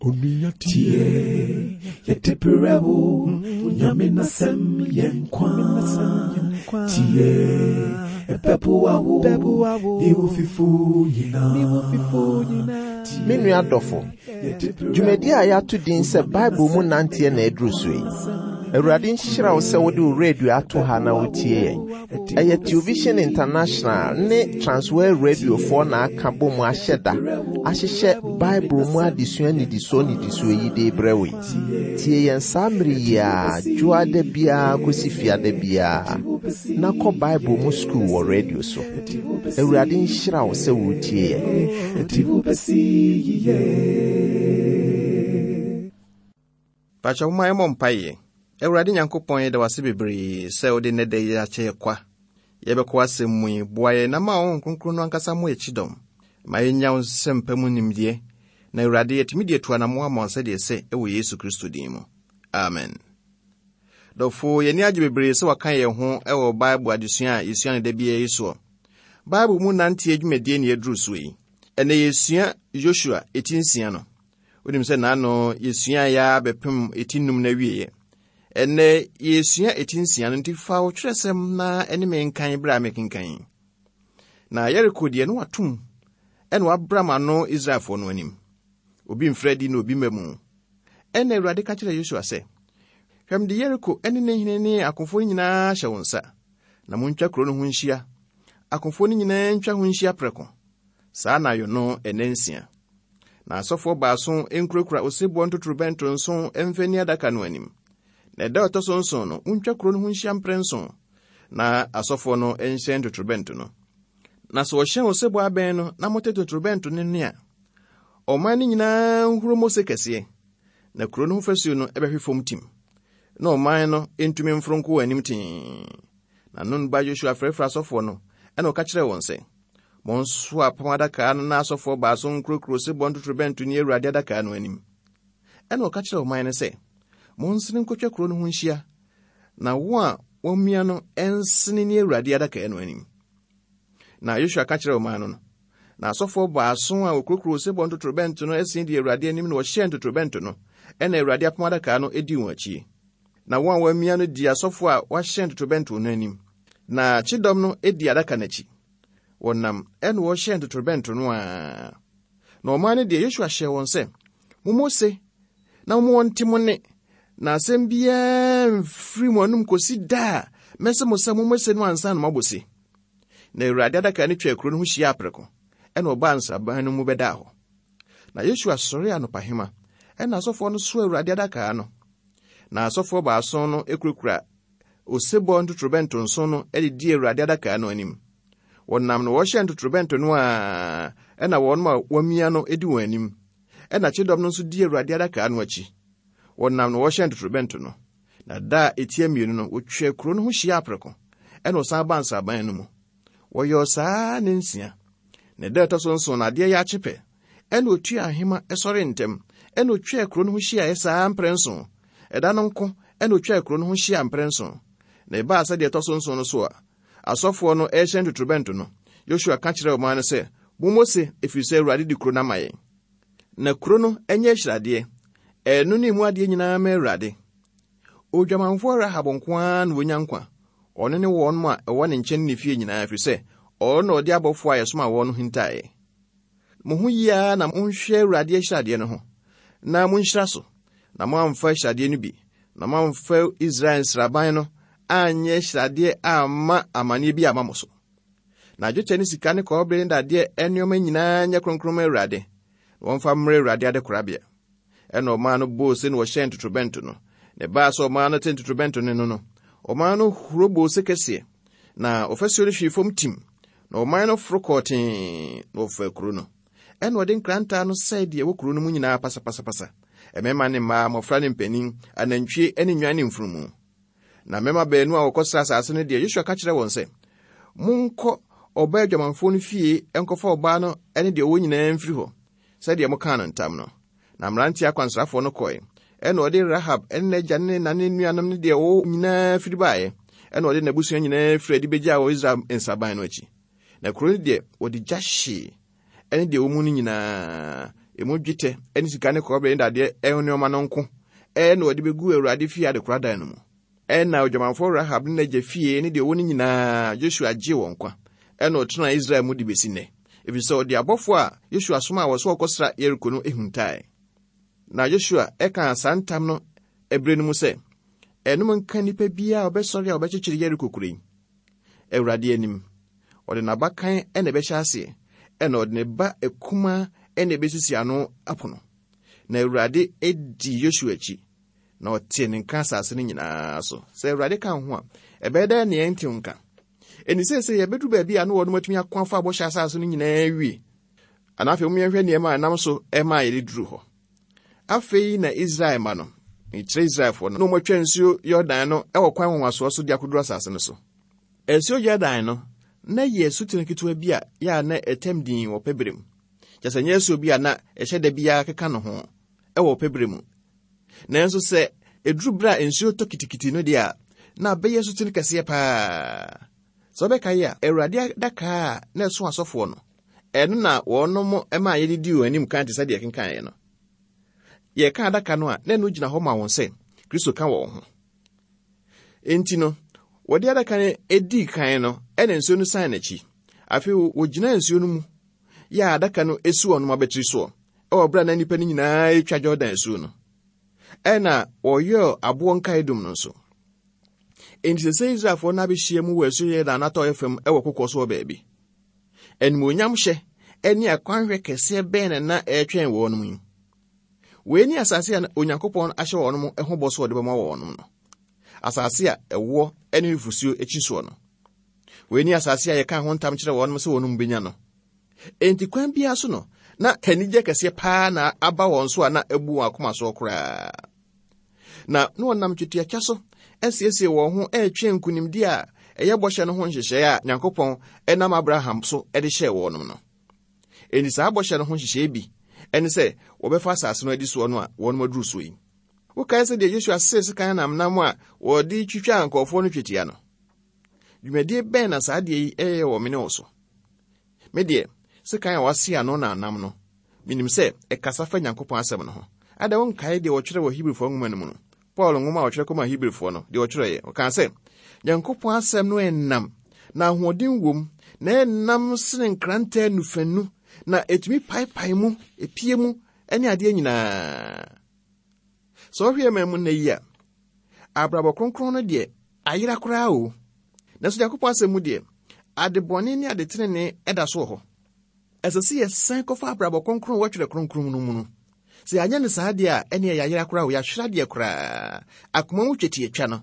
Tie, yɛde berɛ wo, Nyame n'asɛm yɛ nkwa. Tie, ɛbɛboa wo, ne wo fifo nyinaa. Me nua dɔfo, dwumadi a yɛato din sɛ Bible mu nanteɛ na aduru so yi. Awurade nhyira wo sɛ wode wo radio ato ha na wotie yɛn. Ɛyɛ Television International ne Transworld Radiofoɔ na aka bɔ mu ahyɛ da ahyehyɛ Bible mu adesua nnidisoɔ nnidisoɔ yi de rebrɛ wo yi. Tie yɛn saa mmere yi ara, dwoada biara kɔsi fiada biara, na kɔ Bible mu sukuu wɔ radio so. Awurade nhyira wo sɛ woretie yɛn. Pakyɛ momma yɛmmɔ mpaeɛ. Awurade Nyankopɔn yɛda wo ase bebree sɛ wode nnɛ da yi akyɛ yɛ kwa. Yɛbɛkɔ w'asɛm mu yi, boa yɛn na ma wo Honhom Kronkron no ankasa mmɔ yɛn kyidɔm. Ma yɛnya wo nsɛmpa mu nimdeɛ, na Awurade yɛatumi de atu anammɔn ama wo sɛdeɛ ɛsɛ wɔ Yesu Kristo din mu. Amen. Dɔfo, yɛn ani agye bebree sɛ waka yɛn ho wɔ Bible adesua a yɛsua no da biara yi soɔ. Bible mu nanteɛ dwumadie ne yɛaduru soɔ yi. Ɛnɛ yɛsua Yosua eti nsia no. Wonim sɛ n'ano yɛsua yɛ ara bɛpem eti num no awieɛ. Ɛnnɛ yɛresua eti nsia no nti fa wo twerɛsɛm na ɛne me nkan berɛ a mekenkan yi. Na Yeriko deɛ no watom ɛna wabram ano Israelfoɔ no anim. Obi mfiri adi na obi mma mu. Ɛnna Awurade ka kyerɛɛ Yosua sɛ, Hwɛ mede Yeriko ne ne hene ne akofoɔ no nyinaa hyɛ wo nsa, na montwa kuro no ho nhyia. Akofoɔ no nyinaa ntwa ho nhyia prɛko. Saa anadwo no nnansia. Na asɔfoɔ baason nkurakura osebɔ ntotorobɛnto nson mfa nni adaka no anim. Na ɛda a ɛtɔ so nson no, montwa kuro no ho nhyia mprɛnson, na asɔfoɔ no nhyɛn ntotorobɛnto no. Na sɛ wɔhyɛn osebɔ abɛn no na mote totorobɛnto no nne a, ɔman no nyinaa nhuro mmɔ se kɛseɛ, na kuro no ho fasuo no bɛhwe fam tim, na ɔman no ntumi mforo nkɔ wɔn anim tee. Na Nun ba Yosua frɛfrɛɛ asɔfoɔ no, ɛna ɔka kyerɛɛ wɔn sɛ, Monsoa apam adaka no na asɔfoɔ baason nkurokuro sebɔ ntotorobɛnto nni Awurade adaka no anim. Ɛna ɔka kyerɛɛ ɔman no sɛ, Monsene nkɔtwa kuro no ho nhyia, na wɔn a wɔamia no nsene nni Awurade adaka no anim. Na Yosua ka kyerɛɛ ɔman no no, na asɔfoɔ baason a wɔkurokuro sebɔ ntotorobɛnto no asin di Awurade anim na wɔhyɛɛ ntotorobɛnto no, ɛna Awurade apam adaka no dii wɔn akyi. Na wɔn a wɔamia no dii asɔfoɔ a wɔahyɛn ntotorobɛnto no anim, na kyedɔm no dii adaka no akyi. Wɔnam ɛna wɔhyɛn ntotorobɛnto no ara. Na ɔman no deɛ, Yosua hyɛɛ wɔn sɛ, Mommɔ se na momma wɔnte mo nne, na asɛm biara mfiri mo anom kɔsi da a mɛsɛ mo sɛ mommɔ se no ansa na moabɔ se. Na Awurade adaka no twaa kuro no ho hyiaa prɛko, ɛna ɔbaa nsraban no mu bɛdaa hɔ. Na Yosua sɔree anɔpahema, ɛna asɔfoɔ no soa Awurade adaka no. Na asɔfoɔ baason no kurakura osebɔ ntotorobɛnto nson no de di Awurade adaka no anim. Wɔnam na wɔhyɛ ntotorobɛnto no a ɛna wɔn a wɔamia no di wɔn anim. Ɛna kyedɔm no nso di Awurade adaka no akyi. Wɔnam na wɔhyɛ ntotorobɛnto no. Na da a etia mmienu no, wɔtwaa kuro no ho hyia aprɛko, ɛna wɔsan baa nsraban no mu. Wɔyɔɔ saa ne nsia. Na da a ɛtɔ so nson no, adeɛ yɛ akye pɛ, ɛna otuaa ahema sɔree ntɛm, ɛna otwaa kuro no ho hyiaeɛ saa mprɛnson. Ɛda no nko ɛna otwaa kuro no ho hyiaa mprɛnson. Na ɛbaa sɛ deɛ ɛtɔ so nson no so a asɔfoɔ no rehyɛn totorobɛnto no, Yosua ka kyerɛɛ ɔman no sɛ, Mommɔ se, ɛfiri sɛ Awurade de kuro no ama yɛn. Na kuro no nyɛ ahyiradeɛ, ɛno ne emu adeɛ nyinaa ma Awurade. Odwamanfoɔ Rahab nko ara na ɔnya nkwa, ɔno ne wɔn a ɛwɔ ne nkyɛn ne ne fie nyinaa, ɛfiri sɛ ɔno na ɔde abɔfoɔ a yɛsoma wɔn no hintaeɛ. Mo ho yie ara na monhwɛ Awurade ahyiradeɛ no ho, na monhyira so, na moamfa ahyiradeɛ no bi, na moamfa Israel nsraban no anyɛ ahyiradeɛ amma amanneɛ bi amma mo so. Na dwetɛ ne sika ne kɔbere ne dadeɛ nneɛma nyinaa nyɛ kronkron ma Awurade, na wɔmfa mmrɛ Awurade adekorabea. Ɛnna ɔman no bɔɔ ose na wɔhyɛn ntotorobɛnto no. Na ɛbaa sɛ ɔman no te ntotorobɛnto no no no, ɔman no huro bɔɔ ose kɛseɛ, na ɔfasuo no hwee fam tim, na ɔman no foro kɔɔ tee, na wɔfaa kuro no. Ɛnna wɔde nkrantaa no sɛe deɛ ɛwɔ kuro no mu nyinaa pasapasapasa, mmarima ne mmaa, mmɔfra ne mpanin, anantwie ne nnwan ne mfunumu. Na mmarima baanu a wɔkɔsraa asase no deɛ, Yosua ka kyerɛɛ wɔn sɛ, Monkɔ ɔbaa adwamanfoɔ no fie nkɔfa ɔbaa no ne deɛ ɔwɔ nyinaa mfiri hɔ, sɛdeɛ mokaa no ntam no. Na mmeranteɛ akwansrafoɔ no kɔe. Ɛnna ɔde Rahab ne n'agya ne ne na ne nuanom ne deɛ ɔwɔ nyinaa firi baeɛ. Ɛnna ɔde n'abusua nyinaa firi adi bɛgyaa wɔ Israel nsraban no akyi. Na kuro no deɛ, wɔde gya hyee, ɛne deɛ ɛwɔ mu no nyinaa. emu dwetɛ ne sika ne kɔbere ne dadeɛ nneɛma no nko na wɔde bɛgu Awurade fie adekoradan no mu. Ɛnna odwamanfoɔ Rahab ne n'agya fie ne deɛ ɔwɔ no nyinaa, Yosua gyee wɔn nkwa. Ɛnna ɔtenaa Israel mu de bɛsi nnɛ, ɛfiri sɛ ɔde abɔfoɔ a Yosua somaa wɔn sɛ wɔkɔsra Yeriko no huntae. Na Yosua kaa saa ntam no ɛberɛ no mu sɛ, Ɛnom nka nnipa biara a ɔbɛsɔre a ɔbɛkyekyere Yeriko kuro yi. Awurade anim. Ɔde n'abakan na ɛbɛhyɛ aseɛ, ɛna ɔde ne ba akumaa na ɛbɛsisi ano apono. Na Awurade dii Yosua akyi, na ɔtee ne nka asase no nyinaa so. Sɛ Awurade ka ho a, ɛbɛyɛ dɛ nea ɛntew nka. Ɛni seesei yɛbɛduru baabi a na wɔnom atumi ako afa bɔhyɛ asase no nyinaa awie. Ana afei moyɛhwɛ nneɛma a ɛnam so ɛmaa yɛde duru hɔ. Afei na Israel ma no, mekyerɛ Israelfoɔ no, na wɔatwa nsuo Yordan no wɔ kwan nwanwasoɔ so de akɔduru asase no so. Nsuo Yordan no, na yɛ asutene ketewa bi a yɛ a na ɛtɛm din wɔ pɛ berɛ mu. Kyɛ sɛ nyɛ asuo bi a na ɛhyɛ da biara keka no ho wɔ pɛ berɛ mu. Nanso sɛ ɛduru berɛ a nsuo tɔ kitikiti no deɛ a, na abɛyɛ asutene kɛseɛ paa. Sɛ wobɛkae a, Awurade adaka a na ɛso asɔfoɔ no, ɛno na wɔnom maa yɛde dii wɔn anim kan te sɛ deɛ ɛkenkaeɛ no. Yɛka adaka no a, na ɛno gyina hɔ ma wɔn sɛ Kristo ka wɔn ho. Enti no, wɔde adaka no dii kan no, ɛna nsuo no san n'akyi. Afei wɔgyina nsuo no mu yɛ a adaka no si wɔn abatiri soɔ ɛwɔ berɛ a na nnipa no nyinaa retwa Jordan asuo no. Ɛna wɔyɛɛ aboɔ nkaedum no nso. Enti sɛ sɛ Israelfoɔ no abɛhyia mu wɔ asuo Yordan atɔeɛ fam wɔ kokoɔ so wɔ baabi. Animuonyamhyɛ ne akwanhwɛ kɛseɛ bɛn na na ɛretwɛn wɔn yi? Wei ne asase a Onyankopɔn ahyɛ wɔn ho bɔ so ɔde bɛma wɔn no. Asase a ɛwoɔ ne nufosuo akyi soɔ no. Wei ne asase a yɛka ho ntam kyerɛ wɔn sɛ wɔn bɛnya no. Enti kwan biara so no, na anigye kɛseɛ paa na aba wɔn so a na abu wɔn akoma soɔ koraa. Na na wɔnam twetiatwa so asiesie wɔn ho retwɛn nkonimdi a ɛyɛ bɔhyɛ no ho nhyehyɛe a Nyankopɔn nam Abraham so de hyɛɛ wɔn no. Enti saa bɔhyɛ no ho nhyehyɛe bi ne sɛ wɔbɛfa asase no adi soɔ no a wɔn aduru soɔ yi. Wokae sɛ deɛ Yosua see sekan namnam a wɔde twitwaa nkurɔfoɔ no twetia no? Dwumadie bɛn na saa adeɛ yi yɛ wɔ me ne wo so? Me deɛ, sekan a wɔase ano na anam no, menim sɛ ɛkasa fa Nyankopɔn asɛm no ho. Adɛn wonkae deɛ wɔtwerɛ wɔ Hebrifoɔ nwoma no mu no? Paul nwoma a ɔtwerɛ kɔmaa Hebrifoɔ no, deɛ ɔtwerɛeɛ, ɔkaa sɛ, Nyankopɔn asɛm no ɛnnam, na ahoɔden wom, na ɛnnam sene nkrantɛ nufanu, na ɛtumi paepae mu, ɛpie mu, ne adeɛ nyinaa. Sɛ wohwɛ yɛn man mu nnɛ yi a, abrabɔ kronkron no deɛ ayera koraa o. Nanso Nyankopɔn asɛm mu deɛ, ade bɔne ne ade tenenee da so wɔ hɔ. Ɛsɛ sɛ yɛsan kɔfa abrabɔ kronkron a ɛwɔ Twerɛ Kronkron no mu no. Sɛ yɛanyɛ no saa deɛ a, ɛnneɛ yɛayera koraa o, yɛahwere adeɛ koraa. Akoma mu twetiatwa no.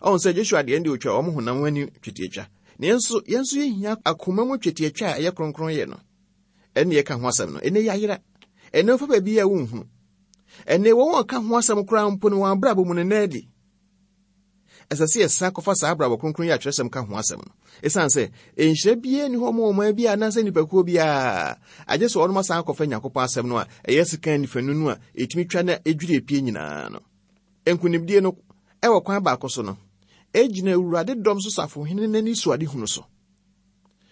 Ɔhu sɛ Joshua deɛ ɛnde ɔtwa wɔn honam ani twetiatwa. Nanso yɛn nso yɛhia akoma mu twetiatwa a ɛyɛ kronkron yɛ no. Ɛnne yɛka ho asɛm no, ɛnɛ yɛayera. Ɛnɛ wofa baabi a wonhunu. Ɛnɛ wɔn a wɔka ho asɛm koraa mpo no wɔn abrabɔ mu no nna adi. Ɛsɛ sɛ yɛsan kɔfa saa abrabɔ kronkron yi a twerɛsɛm ka ho asɛm no. Ɛsiane sɛ nhyira biara nni hɔ ma ɔman bi anaasɛ nnipakuo biara, agye sɛ wɔnom asan akɔfa Nyankopɔn asɛm no a ɛyɛ sekan nifanu no a ɛtumi twa na ɛdwiri epie nyinaa no. Nkonimdie no, ɛwɔ kwan baako so no, ɛgyina Awurade dɔm so safohene no anisoadehunu so.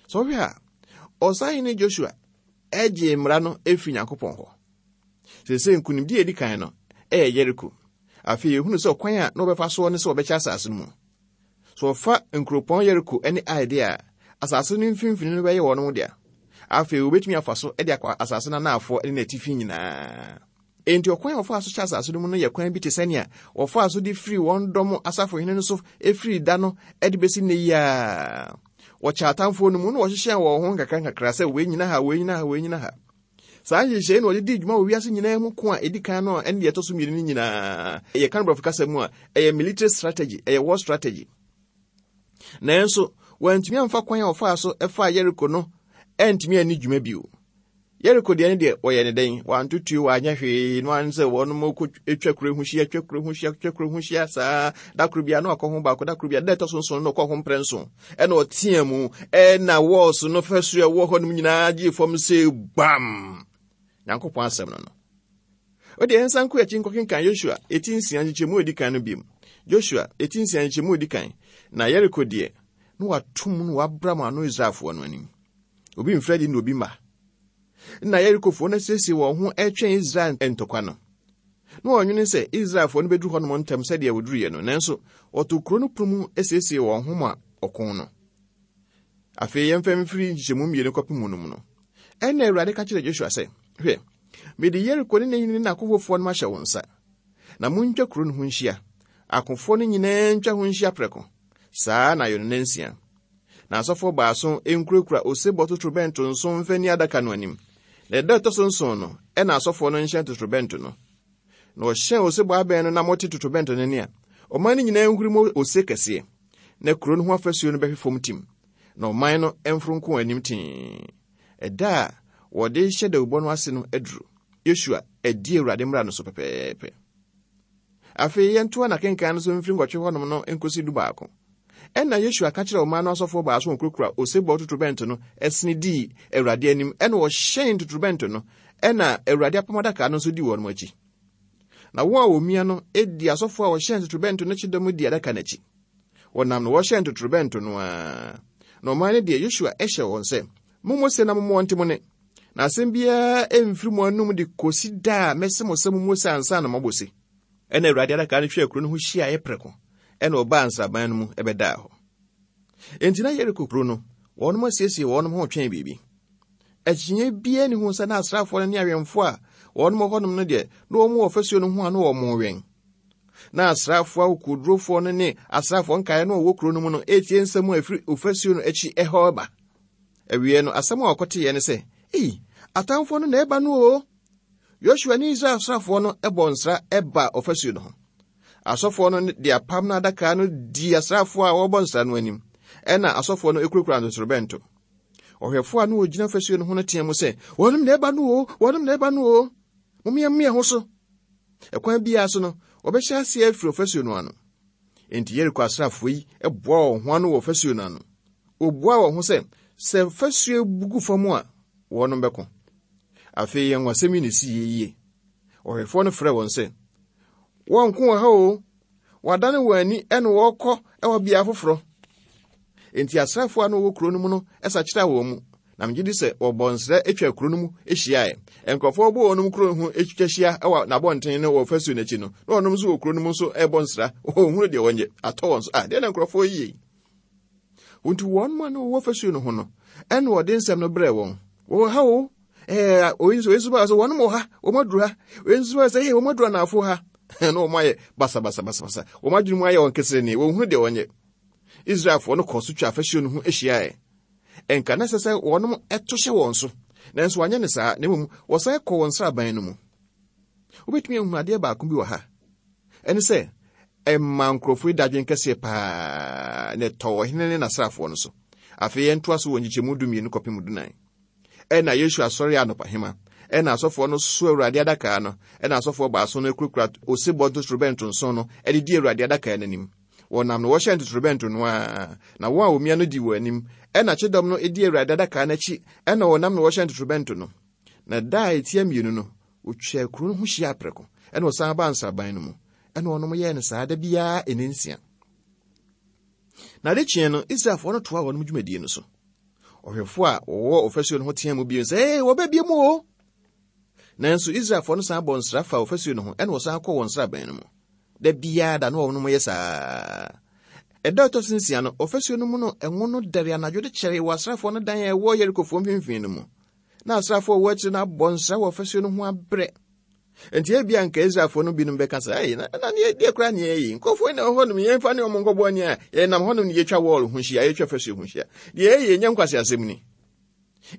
Sɛ wohwɛ a, ɔsahene Joshua gyee mmara no firi Nyankopɔn hɔ. Seesei nkonimdi a edi kan no yɛ Yeriko. Afei yɛhunu sɛ ɔkwan a na wɔbɛfa soɔ ne sɛ wɔbɛkyɛ asase no mu. Sɛ wɔfa nkuropɔn Yeriko ne Ai deɛ a, asase no mfimfini no bɛyɛ wɔn dea. Afei wɔbɛtumi afa so de akɔ asase no anaafoɔ ne n'atifi nyinaa. Enti ɔkwan a wɔfaa so kyɛ asase no mu no yɛ kwan bi te sɛnea wɔfaa so de firii wɔn dɔm asafohene no so firii da no de bɛsi nnɛ yi ara. Wɔkyɛ atamfoɔ no mu na wɔhyehyɛɛ wɔn ho nkakrankakra sɛ wei nyina ha, wei nyina ha, wei nyina ha. Saa nhyehyɛe na wɔde dii dwuma wɔ wiase nyinaa mu ko a edi kan no a ɛne deɛ ɛtɔ so mmienu no nyinaa. Yɛka no borɔfo kasa mu a, ɛyɛ military strategy, ɛyɛ war strategy. Nanso, wɔantumi amfa kwan a wɔfaa so faa Yeriko no antumi anni dwuma bio. Yeriko deɛ no deɛ wɔyɛ ne dɛn? Wɔantotuo, wɔanyɛ hwee, no ara sɛ wɔn kɔ twa kuro ho hyia, twa kuro ho hyia, twa kuro ho hyia saa. Da koro biara na wakɔ ho baako, da koro biara, da ɛtɔ so nson no ɔkɔ ho mprɛ nson. Ɛna ɔteɛ mu, ɛna wɔɔso no fasuo a ɛwɔ hɔ nom nyinaa gyee fam sɛ gbam. Nyankopɔn asɛm no no. Wode yɛnsan nkɔ akyi nkɔkenkan Yosua eti nsia nkyekyɛmu a edi kan no biom. Joshua eti nsia nkyekyɛmu a edi kan. Na Yeriko deɛ, na watom no wabram ano Israelfoɔ no anim. Obi mfiri adi na obi mma. Na Yerikofoɔ no asiesie wɔn ho retwɛn Israel ntɔkwa no. Na wɔnwene sɛ Israelfoɔ no bɛduru hɔnom ntɛm sɛdeɛ wɔduruiɛ no, nanso wɔtoo kuro no pono mu siesie wɔn ho ma ɔko no. Afei yɛmfa mfiri nkyekyɛmu mmienu kɔpem mu no mu no. Ɛnna Awurade ka kyerɛɛ Joshua sɛ, Hwɛ, mede Yeriko ne ne hene ne n'akofofoɔ no mahyɛ wo nsa. Na montwa kuro no ho nhyia. Akofoɔ no nyinaa ntwa ho nhyia prɛko. Saa na yɛ no nnansia. Na asɔfoɔ baason nkurakura osebɔ totorobɛnto nson mfa nni adaka no anim. Na ɛda ɛtɔ so nson no, ɛna asɔfoɔ no nhyɛn totorobɛnto no. Na wɔhyɛn osebɔ abɛn no na mote totorobɛnto no nne a, ɔman no nyinaa nhuri mu ose kɛseɛ. Na kuro no ho afasuo no bɛhwe fam tim, na ɔman no mforo nko wɔn anim tee. Ɛda a wɔde hyɛ dawubɔ no ase no aduru. Yosua adi Awurade mmara no so pɛpɛɛpɛ. Afei yɛntoa n'akenkan no so mfiri nwɔtwe hɔnom no nkosi dubaako. Ɛnna Yosua ka kyerɛɛ ɔman no asɔfoɔ baason a wɔkurakura osebɔ totorobɛnto no sene dii Awurade anim, ɛnna wɔhyɛn totorobɛnto no, ɛnna Awurade apam adaka no nso dii wɔn akyi. Na wɔn a wɔmia no di asɔfoɔ a wɔhyɛn totorobɛnto no kyedɔm di adaka no akyi. Wɔnam no wɔhyɛn totorobɛnto no ara. Na ɔman no deɛ Yosua hyɛ wɔn sɛ, Mommɔ se na mommɔ nte mo ne. Na asɛm biara mfiri mo anom de kɔsi da a mɛse mo sɛ mommɔ se ansa na moabɔ se. Ɛnna Awurade adaka no twaa kuro no ho hyiaeɛ prɛko, ɛnna ɔbaa nsraban no mu bɛdaa hɔ. Enti na Yeriko kuro no, wɔnom asiesie wɔnom ho retwɛn biribi. Akyinnye biara nni ho sɛ na asraafoɔ no ne awɛmfoɔ a wɔnom wɔ hɔnom no deɛ, na wɔn wɔ fasuo no ho a na wɔn wɛn. Na asraafoɔ akokoɔdurofoɔ no ne asraafoɔ nkaeɛ no a wɔwɔ kuro no mu no retie nsɛm a ɛfiri ɔfasuo no akyi ɛhɔ reba. Awiei no, asɛm a wɔkɔteeɛ ne sɛ, Ei, atamfoɔ no na ɛreba no o! Yosua ne Israel asraafoɔ no bɔɔ nsra baa ɔfasuo no ho. Asɔfoɔ no de apam no adaka no dii asraafoɔ a wɔrebɔ nsra no anim, ɛnna asɔfoɔ no kurakura ntotorobɛnto. Ɔhwɛfoɔ a na ɔgyina fasuo no ho no teɛ mu sɛ, Wɔnom na ɛreba no o! Wɔnom na ɛreba no o! Mommeammea ho so! Ɛkwan biara so no, wɔbɛhyɛ aseɛ afiri ɔfasuo no ano. Enti Yeriko asraafoɔ yi boaa wɔn ho ano wɔ fasuo no ano. Wɔbuaa wɔn ho sɛ, sɛ fasuo bu gu fam a, wɔnom bɛko. Afei anwasɛm yi na ɛsii yie. Ɔhwɛfoɔ no frɛɛ wɔn sɛ, Wɔnko wɔ ha o! Wɔadane wɔn ani na wɔrekɔ wɔ bea foforɔ. Enti asraafoɔ a na wɔwɔ kuro no mu no sakyeraa wɔn mu, na megye di sɛ wɔbɔɔ nsrɛ twaa kuro no mu hyiaeɛ. Nkurɔfoɔ bɔ wɔnom kuro ho twitwa hyia wɔ n'abɔnten ne wɔ fasuo no akyi no, na wɔnom nso wɔ kuro no mu nso rebɔ nsra. Wɔnhunu deɛ wɔnyɛ. Atɔ wɔn so. Ah, deɛ na nkurɔfoɔ yi yɛ yi? Nti wɔn a na wɔwɔ fasuo no ho no, ɛna wɔde nsɛm no brɛɛ wɔn. Wɔwɔ ha o. Ɛɛ, oyi nso, oyi nso baa sɛ wɔnom wɔ ha, wɔn aduru ha. Oyi nso baa sɛ, ee, wɔn aduru anaafo ha. Na wɔn ayɛ basabasabasabasa. Wɔn adwene mu ayɛ wɔn keserenee. Wɔnhunu deɛ wɔnyɛ. Israelfoɔ no kɔɔ so twaa fasuo no ho hyiaeɛ. Ɛnka na ɛsɛ sɛ wɔnom to hyɛ wɔn so, nanso wɔanyɛ no saa, na mmom wɔsan kɔɔ wɔn nsraban no mu. Wobɛtumi ahunu adeɛ baako bi wɔ ha. Ɛne sɛ, ɛmaa nkurɔfoɔ yi dadwen kɛseɛ paa na ɛtɔɔ ɔhene ne n'asraafoɔ no so. Afei yɛntoa so wɔ nkyekyɛmu dumienu kɔpem dunan. Ɛna Yosua sɔre anɔpahema, ɛna asɔfoɔ no so Awurade adaka no, ɛna asɔfoɔ baason no kurakura osebɔ ntotorobɛnto nson no de di Awurade adaka no anim. Wɔnam no wɔhyɛn totorobɛnto no ara, na wɔn a wɔmia no di wɔn anim. Ɛna kyedɔm no di Awurade adaka no akyi, ɛna wɔnam no wɔhyɛn totorobɛnto no. Na da a ɛtia mmienu no, wɔtwaa kuro no ho hyiaa prɛko, ɛna wɔsan baa nsraban no mu. Ɛna wɔnom yɛɛ no saa da biara nnansia. Na ade kyeɛ no, Israelfoɔ no toaa wɔnom dwumadie no so. Ɔhwɛfoɔ a wɔwɔ ɔfasuo no ho teaa mu bio sɛ, Ee, wɔba bio mu o! Nanso Israelfoɔ no san bɔɔ nsra faa ɔfasuo no ho, ɛna wɔsan kɔɔ wɔn nsraban no mu. Da biara da na wɔnom yɛ saa. Ɛda a ɛtɔ so nsia no, ɔfasuo no mu no ngo no dɛre anadwo de kyɛree wɔ asraafoɔ no dan a ɛwɔ Yerikofoɔ mfimfini no mu. Na asraafoɔ a wɔwɔ akyire no abɔ nsra wɔ ɔfasuo no ho abrɛ. Enti ebia anka Israelfoɔ no binom bɛka sɛ, Ei, na na neɛ deɛ koraa neɛ ɛyɛ yi, nkurɔfoɔ yi na ɛwɔ hɔnom, yɛmfa ne wɔn nkɔbɔ ani a yɛnam hɔnom ne yɛtwa wɔɔl ho hyia, yɛtwa fasuo ho hyia. Deɛ ɛyɛ nyɛ nkwaseasɛm ni.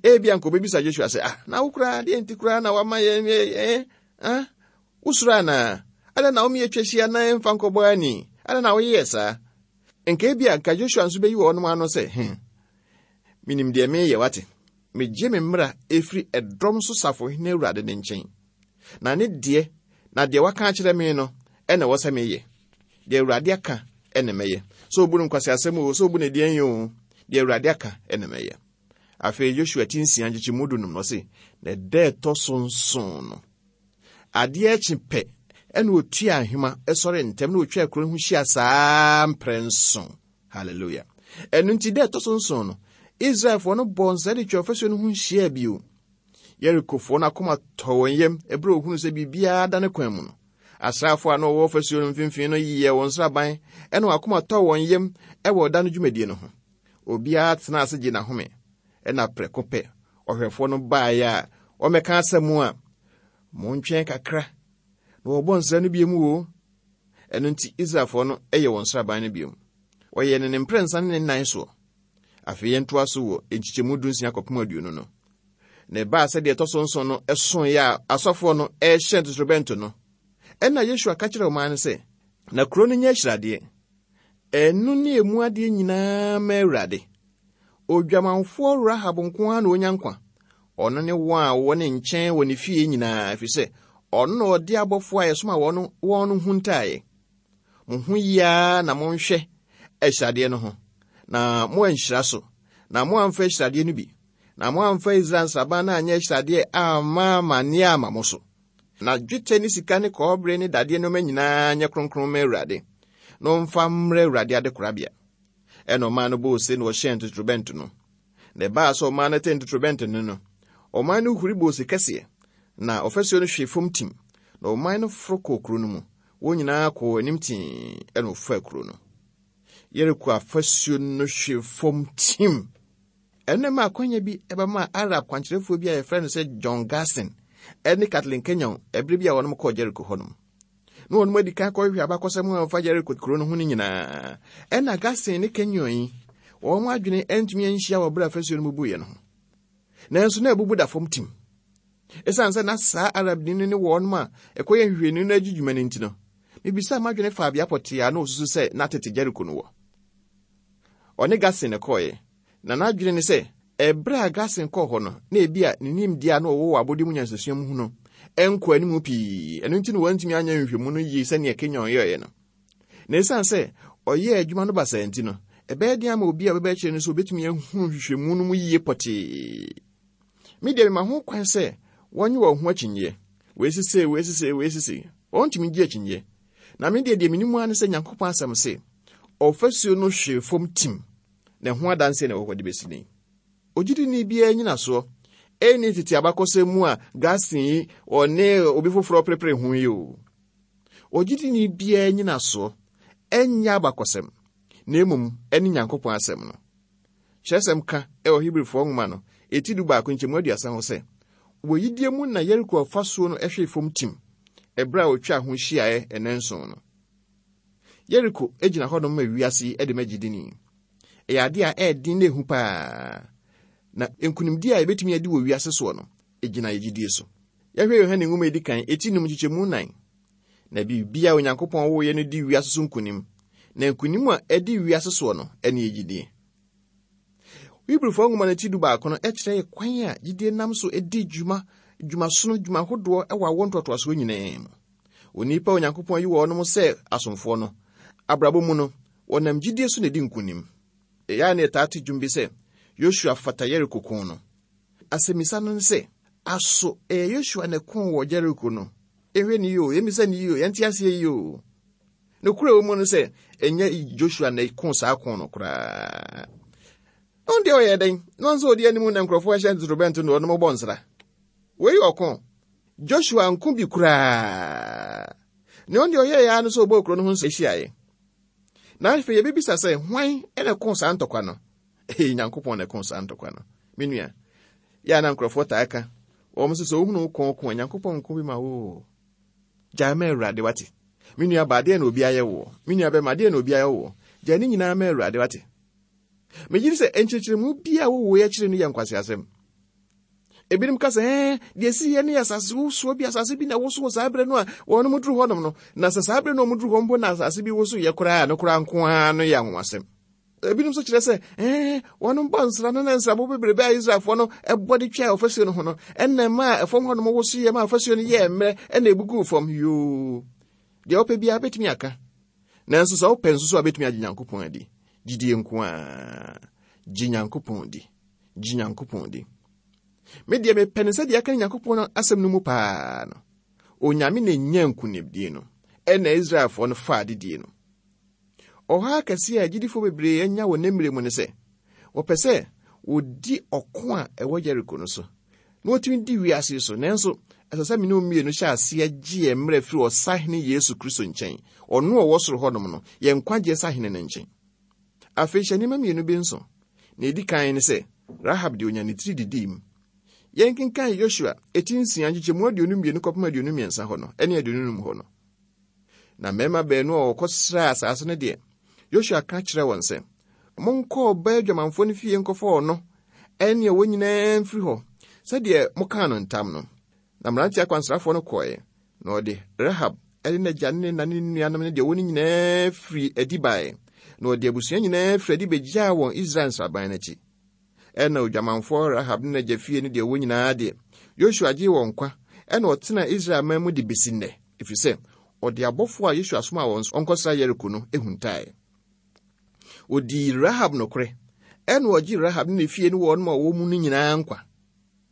Ebia anka wɔbɛbisa Joshua sɛ, ah, na wo koraa deɛ nti koraa na wama yɛn eh, ah, wosuro anaa? Adɛn na woma yɛtwa hyia na yɛmfa nkɔbɔ ani? Adɛn na woyɛɛ saa? Nka ebia anka Joshua nso bɛyi wɔnom ano sɛ, hmm, menim deɛ meyɛ wate. Megye me mmara ɛfiri ɛdɔm so safohene Awurade ne nkyɛn. Na ne deɛ, na deɛ waka akyerɛ me no, ɛna ɛwɔ sɛ meyɛ. Deɛ Awurade aka ɛna mɛyɛ. Sɛ obu no nkwaseasɛm o, sɛ obu no deɛn o, deɛ Awurade aka ɛna mɛyɛ. Afei Joshua ti nsia nkyekyɛmu dunum no ɔse, na ɛda ɛtɔ so nson no, adeɛ akyi pɛ ɛna otua ahema sɔre ntɛm na otwa kuro no ho hyia saa mprɛnson. Hallelujah. Ɛno nti da ɛtɔ so nson no, Israelfoɔ no bɔɔ nsa de twa ɔfasuo no ho hyia bio. Yerikofoɔ no akoma tɔ wɔn yam ɛberɛ a wɔhunu sɛ biribiara da ne kwan mu no. Asraafoɔ a na wɔwɔ fasuo no mfimfini no yɛɛ wɔn nsraban ɛna wɔn akoma tɔɔ wɔn yam wɔ ɔda no dwumadie no ho. Obiara tenaa ase gyee n'ahome. Ɛna prɛko pɛ, ɔhwɛfoɔ no baeɛ a ɔmmɛka asɛm a, Montwɛn kakra, na wɔbɔ nsra no bio mu o. Ɛno nti Israelfoɔ no yɛ wɔn nsraban no bio. Wɔyɛɛ no ne mprɛnsa ne ne nnan soɔ. Afei yɛntoa so wɔ nkyekyɛmu 16 kɔpem 20 no. Na ɛbaa sɛ deɛ ɛtɔ so nson no soeɛ a asɔfoɔ no rehyɛn totorobɛnto no, ɛnna Yosua ka kyerɛɛ ɔman no sɛ, Na kuro no nyɛ ahyiradeɛ, ɛno ne emu adeɛ nyinaa ma Awurade. Odwamanfoɔ Rahab nko ara na ɔnya nkwa, ɔno ne wɔn a wɔwɔ ne nkyɛn wɔ ne fie nyinaa, ɛfiri sɛ ɔno na ɔde abɔfoɔ a yɛsoma wɔn wɔn no huntaeɛ. Mo ho yie ara na monhwɛ ahyiradeɛ no ho, na moanhyira so, na moamfa ahyiradeɛ no bi, na moamfa Israel nsraban no anyɛ ahyiradeɛ amma amanneɛ amma mo so. Na dwetɛ ne sika ne kɔbere ne dadeɛ nneɛma nyinaa nyɛ kronkron ma Awurade, na ɔmfa mmrɛ Awurade adekorabea. Ɛna ɔman no bɔɔ ose na wɔhyɛn ntotorobɛnto no. Na ɛbaa sɛ ɔman no tee ntotorobɛnto no no, ɔman no huri bɔɔ ose kɛseɛ, na ɔfasuo no hwee fam tim, na ɔman no foro kɔɔ kuro no mu. Wɔn nyinaa kɔɔ anim tee ɛna wɔfaa kuro no. Yeriko afasuo no hwee fam tim. Ɛno ɛma akwanya bi ɛbɛmaa Arab kwankyerɛfoɔ bi a yɛfrɛ no sɛ John Garson ɛne Kathleen Kenyon ɛberɛ bi a wɔnom kɔɔ Jericho hɔnom. Na wɔnom adi kan kɔhwehwɛ abakɔsɛm a ɛfa Jericho kuro no ho no nyinaa. Ɛna Garson ne Kenyon yi, wɔn adwene antumi anhyia wɔ berɛ a afasuo no bubuiɛ no ho. Nanso na abubu da fam tim. Esiane sɛ na saa Arabni no ne wɔnom a ɛkɔyɛ nhwehwɛni no agye dwuma no nti no, mebisaa m'adwene faa bea pɔtee a na osusu sɛ na tete Jeriko no wɔ. Ɔne Garson na ɛkɔeɛ, na n'adwene ne sɛ ɛberɛ a Garson kɔɔ hɔ no, na ebia ne nimdeɛ a na ɔwɔ wɔ abɔde mu nyansasua mu ho no nkɔ anim pii, ɛno nti na wantumi anyɛ nhwehwɛmu no yie sɛnea Kenyon yɛeɛ no. Na esiane sɛ ɔyɛɛ adwuma no basaa nti no, ɛbɛyɛ den ama obi a ɔbɛba akyire no sɛ obetumi ahunu nhwehwɛmu no mu yie pɔtee. Me deɛ mema ho kwan sɛ wɔnye wɔn ho akyinnyeɛ. Wei sesei, wei sesei, wei sesei. Wɔntumi gye akyinnyeɛ. Na me deɛ deɛ menim ara ne sɛ Nyankopɔn asɛm se, ɔfasuo no hwee fam tim, na ɛho adanseɛ na ɛwɔ hɔ de bɛsi nnɛ yi. Ogyidini biara nyinasoɔ ɛnni tete abakɔsɛm mu a Gaston yi ɔne obi foforɔ perepere ho yi o. Ogyidini biara nyinasoɔ ɛnyɛ abakɔsɛm, na mmom ɛne Nyankopɔn asɛm no. Kyerɛwsɛm ka wɔ Hebrifoɔ nwoma no eti 11 nkyɛmu 30 ho sɛ, Wɔ yidie mu na Yeriko afasuo no hwee fam tim, ɛberɛ a wɔtwaa ho hyiaeɛ nnanson no. Yeriko gyina hɔnom ma wiase yi de ma gyidini. Ɛyɛ adeɛ a ɛyɛ den na ɛhu paa. Na nkonimdie a yɛbɛtumi adi wɔ wiase soɔ no, ɛgyina yɛ gyidie so. Yɛhwɛ Yohane nwoma edi kan eti num nkyekyɛmu nan. Na biribiara a Onyankopɔn woeɛ no di wiase so nkonim, na nkonim a ɛdi wiase soɔ no ne yɛ gyidie. Hebrifoɔ nwoma no ti 11 no kyerɛ yɛ kwan a gyidie nam so di dwuma, dwumasono, dwuma ahodoɔ wɔ awoɔ ntoatoasoɔ nyinaa mu. Onipa a Onyankopɔn ayi wɔnom sɛ asomfoɔ no, abrabɔ mu no, wɔnam gyidie so na ɛdi nkonim. Ɛyɛ a na yɛtaa te dwom bi sɛ, Yosua fata Yeriko ko no. Asɛmmisa no ne sɛ, aso ɛyɛ Yosua na ɛkoo wɔ Yeriko no? Yɛnhwɛ no yie o, yɛmmisa no yie o, yɛnte aseɛ yie o. Nokorɛ wɔ mu no sɛ, ɛnyɛ Joshua na ɛkoo saa ko no koraa. Ɔno deɛ ɔyɛ dɛn? Na ɔno sɛ ɔdi anim na nkurɔfoɔ hyɛ ntotorobɛnto na ɔnom bɔ nsra. Wei yɛ ɔko. Joshua nko bi koraa. Nea ɔno deɛ ɔyɛeɛ ara no sɛ ɔbɔɔ kuro no ho nsa hyiaeɛ. Na afei yɛbɛbisa sɛ, hwan na ɛkoo saa ntɔkwa no? Ee, Nyankopɔn na ɛkoo saa ntɔkwa no. Me nua, yɛ a na nkurɔfoɔ taa ka, wɔn sɛ sɛ wohunu wo kɔn ko a, Nyankopɔn nko bi ma wo. Gyae ma Awurade, wate? Me nua baa, deɛ na obi ayɛ woɔ? Me nua bɛma, deɛ na obi ayɛ woɔ? Gyae ne nyinaa ma Awurade, wate? Megye di sɛ nkyerɛkyerɛmu bi a wowɔ akyire no yɛ nkwaseasɛm. Ebinom ka sɛ, ɛɛ, deɛ ɛsi yɛ no yɛ asase wosoɔ bi, asase bi na ɛwoso wɔ saa berɛ no a wɔn duru hɔnom no. Na sɛ saa berɛ no wɔn duru hɔ mpo na asase bi woso yɛ koraa no koraa nko ara no yɛ anwanwasɛm. Ebinom nso kyerɛ sɛ, ɛɛ, wɔn bɔ nsra no na nsrabɔ bebrebe a Israelfoɔ no bɔ de twaa ɔfasuo no ho no, ɛna ɛmaa ɛfam hɔnom woso yɛ ma ɔfasuo no yɛɛ mmerɛ ɛna ebuguu fam. Yoo, deɛ wopɛ biara bɛtumi aka. Nanso sɛ wopɛ nso so a bɛtumi agye Nyankopɔn adi. Gyidie nko ara. Gye Nyankopɔn di. Gye Nyankopɔn di. Me deɛ mepɛ no sɛdeɛ aka Nyankopɔn asɛm no mu paa no. Onyame na nya nkonimdie no, ɛna Israelfoɔ no faa adedie no. Ɔhaw akɛse a agyidifoɔ bebree anya wɔ nnɛ mmerɛ mu ne sɛ, wɔpɛ sɛ wɔdi ɔko a ɛwɔ Yeriko no so. na wɔtumi di wiase so. Nanso, ɛsɛ sɛ me ne wo mmienu hyɛ aseɛ gye yɛn mmerɛ firi Ɔsahene Yesu Kristo nkyɛn, ɔno a ɔwɔ soro hɔnom no, yɛn nkwagyeɛ sahene no nkyɛn. Afei hyɛ nneɛma mmienu bi nso. Nea edi kan ne sɛ, Rahab de onya ne tiri didii mu. Yɛnkenkan Yosua eti nsia nkyekyɛmu 22 kɔpem 23 hɔ no ne 25 hɔ no. Na mmarima baanu a wɔkɔsraa asase no deɛ, Yosua ka kyerɛɛ wɔn sɛ, Monkɔ ɔbaa adwamanfoɔ no fie nkɔfa ɔno ne ɛwɔ nyinaa mfiri hɔ, sɛdeɛ mokaa no ntam no. Na mmerante akwansrafoɔ no kɔeɛ, na ɔde Rahab ne n'agya ne ne na ne ne nuanom ne deɛ ɔwɔ no nyinaa firii adi baeɛ, na ɔde abusua nyinaa firii adi bɛgyaa wɔn Israel nsraban no akyi. Ɛnna odwamanfoɔ Rahab ne n'agya fie ne deɛ ɔwɔ nyinaa deɛ, Yosua gyee wɔn nkwa, ɛnna ɔtenaa Israel man mu de bɛsi nnɛ, ɛfiri sɛ ɔde abɔfoɔ a Yosua somaa wɔn sɛ wɔnkɔsra Yeriko no huntaeɛ. Ɔdii Rahab nokorɛ, ɛnna ɔgyee Rahab ne ne fie ne wɔn a wɔwɔ mu no nyinaa nkwa.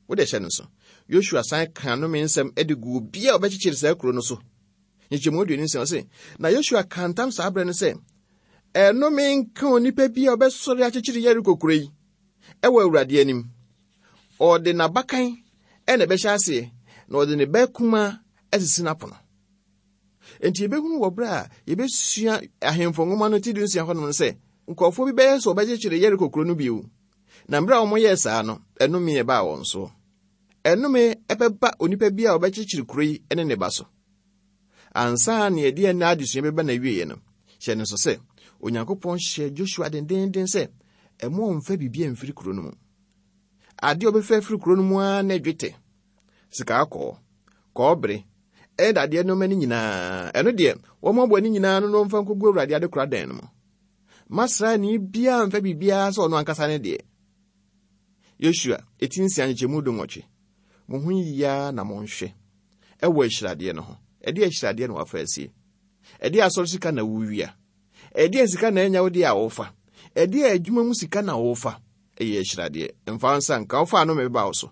Wode hyɛ no nso. Yosua san kaa nnome nsɛm de guu obiara a ɔbɛkyekyere saa kuro no so. Nkyɛmu 26 ɔse, na Yosua kaa ntam saa berɛ no sɛ, ɛnome nka onipa bi a ɔbɛsɔre akyekyere Yeriko kuro yi ɛwɔ Awurade anim. Ɔde n'abakan ɛna ɛbɛhyɛ aseɛ, na ɔde ne ba kumaa asisi n'apono. Enti yɛbɛhunu wɔ berɛ a yɛbɛsua Ahemfo nwoma no ti dunsia hɔnom no sɛ, nkurɔfoɔ bi bɛyɛ sɛ wɔbɛkyekyere Yeriko kuro no bio. Na mmerɛ a wɔyɛɛ saa no, ɛnome baa wɔn so. Ɛnome bɛba onipa bi a ɔbɛkyekyere kuro yi ne ne ba so. Ansa na yɛde ɛnnɛ adesua bɛba n'awieeɛ no, hyɛ no nso sɛ Onyankopɔn hyɛɛ Joshua dendeenden sɛ ɛmo ɔmfa biribi amfiri kuro no mu. Adeɛ a ɔbɛfa afiri kuro no mu ara ne dwetɛ, sika kɔɔ, kɔɔbere, ɛne dadeɛ nneɛma no nyinaa. Ɛno deɛ, wɔmmoaboa ne nyinaa no na wɔmfa nkɔgu Awurade adekora dan no mu. Mma sraani biara mfa biribiara sɛ ɔno ankasa ne deɛ. Yosua, eti nsia nkyekyɛmu dunwɔtwe. Mo ho yiye ara na monhwɛ ɛwɔ ahyiradeɛ no ho. Ɛdeɛ ahyiradeɛ na wafa asie? Ɛdeɛ asɔre sika na wowia? Ɛdeɛ sika na anya wo deɛ a wofa? Ɛdeɛ adwuma mu sika na wofa? Ɛyɛ ahyiradeɛ. Mfa wo nsa nka, wofa ano mebeba wo so.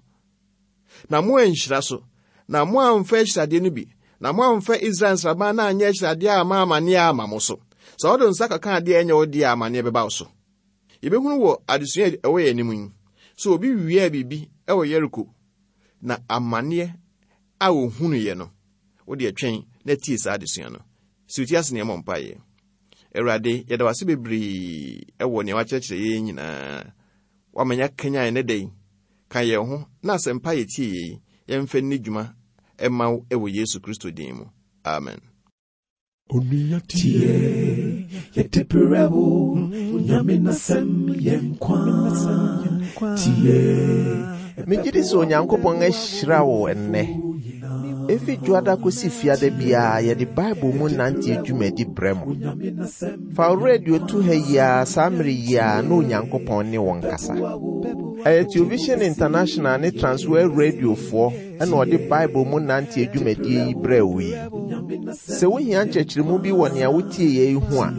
Na moanhyira so, na moamfa ahyiradeɛ no bi, na moamfa Israel nsraban no anyɛ ahyiradeɛ amma amanneɛ amma mo so. Sɛ wode nsa kɔka adeɛ a ɛnyɛ wo deɛ a, amanneɛ bɛba wo so. Yɛbɛhunu wɔ adesua a ɛwɔ yɛn anim yi sɛ obi wiaa biribi wɔ Yeriko na amanneɛ a ɔhunuiɛ no, wo deɛ twɛn na tie saa adesua no. Si wo ti ase na yɛmmɔ mpaeɛ. Awurade, yɛda wo ase bebree wɔ nea wakyerɛkyerɛ yɛn nyinaa. Woama yɛakanyan ɛnnɛ da yi. Ka yɛn ho na asɛmpa a yɛtieeɛ yi, yɛmfa nni dwuma mma wo wɔ Yesu Kristo din mu. Amen. Onua tie, yɛde brɛ wo, Nyame n'asɛm yɛ nkwa. Tie. Megye di sɛ Onyankopɔn ahyira wo ɛnnɛ. Efi Dwoada kosi Fiada biara yɛde Bible mu nanteɛ dwumadi brɛ mo. Fa wo radio to ha yi ara saa mmere yi ara na Onyankopɔn ne wo nkasa. Ɛyɛ Television International ne Transworld Radiofoɔ na ɔde Bible mu nanteɛ dwumadie yi brɛɛ wo yi. Sɛ wohia nkyerɛkyerɛmu bi wɔ nea wotieeɛ yi ho a,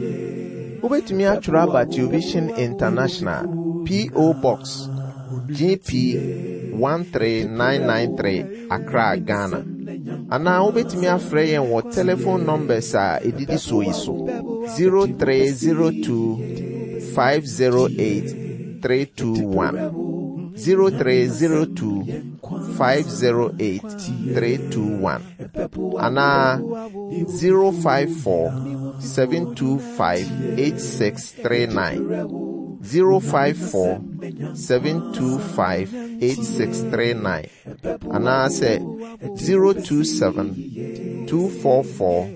wobɛtumi atwerɛ aba Television International, P.O. Box, GP 13993, Accra, Ghana. Anaa wobɛtumi afrɛ yɛn wɔ telephone numbers a ɛdidi soɔ yi so 0302 508 321 0302 508 321 anaa 054 725 8639 054 725 8639 anaasɛ 027 244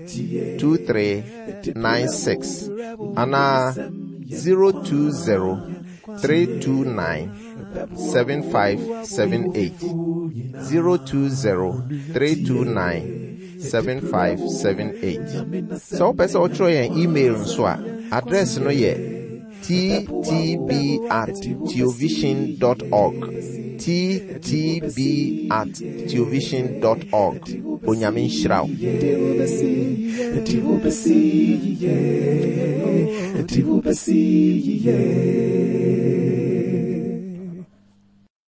2396 anaa 020 329 7578 020 329 7578. Sɛ wopɛ sɛ wotwerɛ yɛn email nso a, address no yɛ ttb at theovision dot org. ttb at theovision dot org. Onyame nhyira wo.